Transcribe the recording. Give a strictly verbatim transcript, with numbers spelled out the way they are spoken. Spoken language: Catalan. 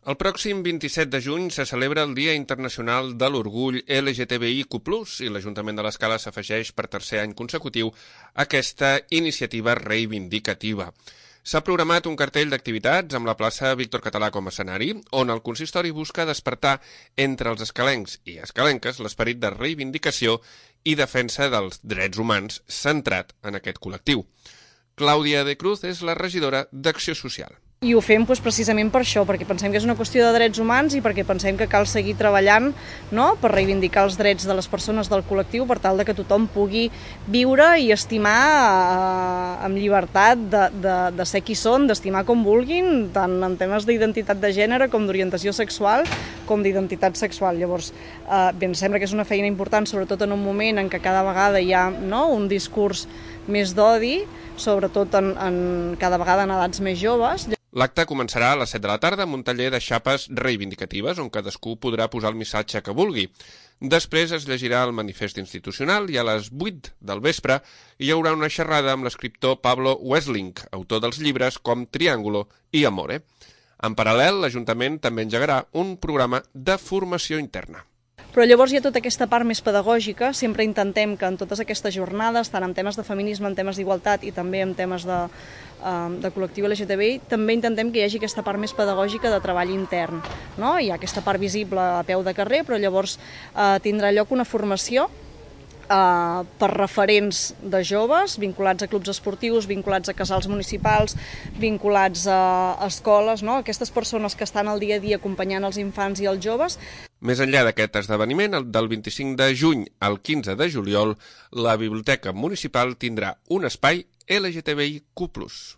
El pròxim vint-i-set de juny se celebra el Dia Internacional de l'Orgull L G T B I Q plus, i l'Ajuntament de l'Escala s'afegeix per tercer any consecutiu a aquesta iniciativa reivindicativa. S'ha programat un cartell d'activitats amb la plaça Víctor Català com a escenari, on el consistori busca despertar entre els escalencs i escalenques l'esperit de reivindicació i defensa dels drets humans centrat en aquest col·lectiu. Clàudia de Cruz és la regidora d'Acció Social. I ho fem doncs, precisament per això, perquè pensem que és una qüestió de drets humans i perquè pensem que cal seguir treballant, no?, per reivindicar els drets de les persones del col·lectiu per tal de que tothom pugui viure i estimar eh, amb llibertat de, de, de ser qui són, d'estimar com vulguin, tant en temes d'identitat de gènere com d'orientació sexual com d'identitat sexual. Llavors, eh, bé, ens sembla que és una feina important, sobretot en un moment en què cada vegada hi ha, no?, un discurs més d'odi, sobretot en, en, cada vegada en edats més joves. L'acte començarà a les set de la tarda amb un taller de xapes reivindicatives on cadascú podrà posar el missatge que vulgui. Després es llegirà el manifest institucional i a les vuit del vespre hi haurà una xerrada amb l'escriptor Pablo Wessling, autor dels llibres com Triángulo i Amore. En paral·lel, l'Ajuntament també engegarà un programa de formació interna. Però llavors hi ha tota aquesta part més pedagògica. Sempre intentem que en totes aquestes jornades, tant en temes de feminisme, en temes d'igualtat i també en temes de, de col·lectiu L G T B I, també intentem que hi hagi aquesta part més pedagògica de treball intern, no? Hi ha aquesta part visible a peu de carrer, però llavors eh, tindrà lloc una formació Uh, per referents de joves, vinculats a clubs esportius, vinculats a casals municipals, vinculats a escoles, no? Aquestes persones que estan al dia a dia acompanyant els infants i els joves. Més enllà d'aquest esdeveniment, el del vint-i-cinc de juny al quinze de juliol, la Biblioteca Municipal tindrà un espai L G T B I Q plus.